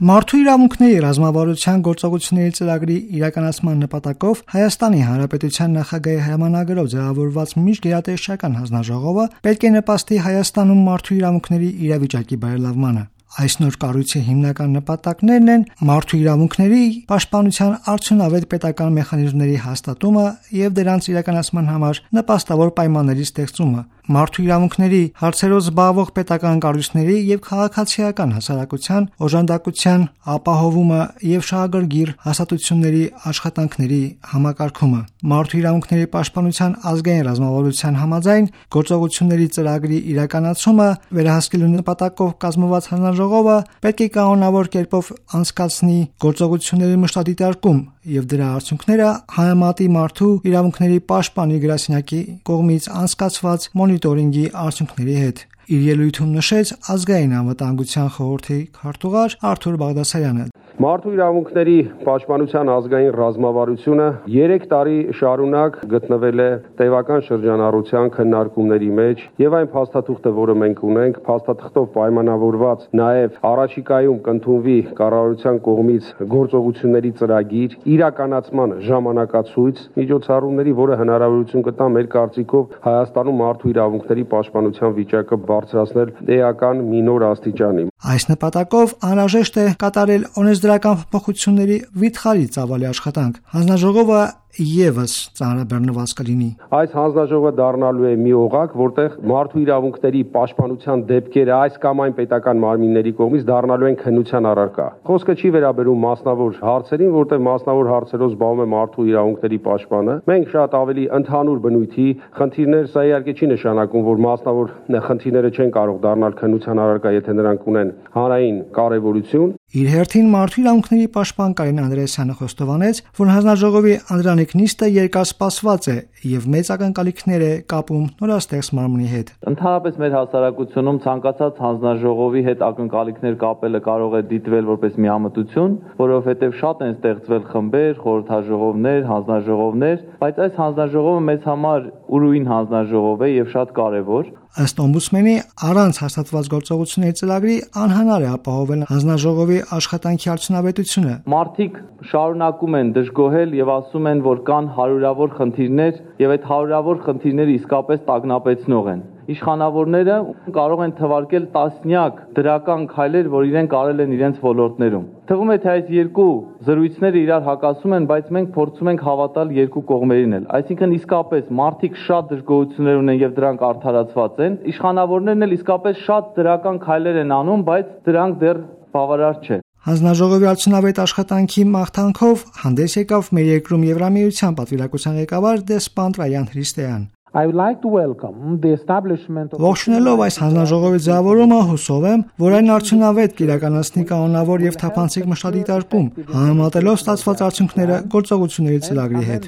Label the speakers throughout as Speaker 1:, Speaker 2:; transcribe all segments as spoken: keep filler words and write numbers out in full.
Speaker 1: Մարդու իրավունքների ռազմավարության գործողությունների ծրագրի իրականացման նպատակով Հայաստանի Հանրապետության նախագահի հրամանագրով ձևավորված միջգերատեսչական հանձնաժողովը պետք է նպաստի Հայաստանում մարդու իրավունքների իրավիճակի բարելավմանը։ Այս նոր կառույցի հիմնական նպատակներն են մարդու իրավունքների պաշտպանության արդյունավետ պետական մեխանիզմների հաստատումը եւ դրանց իրականացման համար նպաստավոր պայմանների ստեղծումը, մարդու իրավունքների հարցերով զբաղվող պետական կառույցների եւ քաղաքացիական հասարակության օժանդակության ապահովումը եւ շահագրգիռ հաստատությունների աշխատանքների համակարգումը, մարդու իրավունքների պաշտպանության ազգային ռազմավարության համաձայն գործողությունների ծրագրի իրականացումը, վերահսկելու նպատակով կազմված հանձնաժողովը պետք է կանոնավոր կերպով անցկացնի գործողությունների մշտադիտարկում եւ դրա արդյունքները համեմատի մարդու իրավունքների պաշտպանի գրասենյակի կողմից անցկացված մոնիտորինգի արդյունքների հետ։ Իր ելույթում նշեց ազգային անվտանգության խորհրդի քարտուղար Արթուր Բաղդասարյանը։
Speaker 2: Մարդու իրավունքների պաշտպանության ազգային ռազմավարությունը երեք տարի շարունակ գտնվել է տևական շրջանառության քննարկումների մեջ եւ այն փաստաթուղթը, որը մենք ունենք, փաստաթղթով պայմանավորված նաեւ առաջիկայում կընդունվի կառավարության կողմից գործողությունների ծրագիր, իրականացման ժամանակացույց միջոցառումների, որը հնարավորություն կտա մեր կարծիքով Հայաստանում մարդու իրավունքների պաշտպանության վիճակը բարձրացնել էական մի նոր աստիճանի։
Speaker 1: Այս նպատակով անհրաժեշտ է կատարել օրենսդրական փոփոխությունների վիթխարի ծավալի աշխատանք։ Հանձնաժողովը եւս ծանրաբեռնված կլինի։
Speaker 2: Այս հանձնաժողովը դառնալու է մի օղակ, որտեղ մարդու իրավունքների պաշտպանության դեպքերը այս կամ այն պետական մարմինների կողմից դառնալու են քննության առարկա։ Խոսքը չի վերաբերում մասնավոր հարցերին, որտեղ մասնավոր հարցերով զբաղվում է մարդու իրավունքների պաշտպանը։ Մենք շատ ավելի ընդհանուր բնույթի խնդիրներ, սա իհարկե չի նշանակում, որ մասնավոր խնդիրները չեն կարող դառնալ քննության առարկա, եթե նրանք ունեն հանրային կարևորություն։
Speaker 1: Իր հերթին մարդու իրավունքների պաշտպան Կարեն Անդրեասյանը խոստովանեց, որ հանձնաժողովի անդրանիկ նիստը երկար սպասված է եւ մեծ ակնկալիքներ է կապում նորաստեղծ մարմնի հետ։
Speaker 3: Ընդհանրապես մեր հասարակությունում ցանկացած հանձնաժողովի հետ ակնկալիքներ կապելը կարող է դիտվել որպես միամտություն, որովհետեւ շատ են ստեղծվել խմբեր, խորհրդաժողովներ, հանձնաժողովներ, բայց այս հանձնաժողովը մեզ համար ուրույն հանձնաժողով է եւ շատ կարեւոր։
Speaker 1: Ըստ օմբուդսմենի, առանց հաստատված գործողությունների ծրագրի անհնար է ապահովել հանձնաժողովի աշխատանքի արդյունավետությունը։
Speaker 3: Մարդիկ շարունակում են դժգոհել եւ ասում են, որ կան հարյուրավոր խնդիրներ եւ այդ հարյուրավոր խնդիրները իսկապես տագնապեցնող են։ Իշխանավորները կարող են թվարկել տասնյակ դրական քայլեր, որ իրենք արել են իրենց ոլորտներում։ Թվում է, թե այս երկու զրույցները իրար հակասում են, բայց մենք փորձում ենք հավատալ երկու կողմերին էլ։ Այսինքն իսկապես մարդիկ շատ դժգոհություններ ունեն եւ դրանք արդարացված են։ Իշխանավորներն էլ իսկապես շատ դրական քայլեր են անում, բայց դրանք դեռ բավարար չէ։
Speaker 1: Հանձնաժողովի արդյունավետ աշխատանքի մաղթանքով հանդես եկավ մեր երկրում Եվրամիության պատվիրակության ղեկավար դեսպան Տրայան Հրիստեյան։
Speaker 4: I would like to welcome the establishment of
Speaker 1: Ողջունելով այս հանձնաժողովի ձևավորումը, հուսով եմ, որ այն արդյունավետ կիրականացնի կանոնավոր եւ թափանցիկ մշտադիտարկում, համեմատելով ստացված արդյունքները գործողությունների ծրագրի հետ։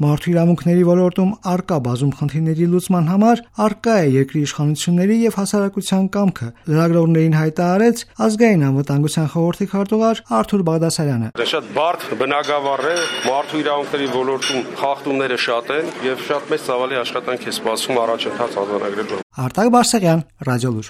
Speaker 1: Մարդու իրավունքների ոլորտում արկա բազում խնդիրների լուծման համար արկա է երկրի իշխանությունների եւ հասարակության կամքը, լրագրողներին հայտարարեց ազգային անվտանգության խորհրդի քարտուղար Արթուր Բաղդասարյանը։
Speaker 2: Դա շատ բարդ բնագավառ է, մարդու իրավունքների ոլորտում խախտումները շատ են եւ շատ մեծ ծավալի աշխատանք է սպասում առաջընթաց արձանագրելու։
Speaker 1: Արտակ Բարսեղյան, Ռադիոլուր։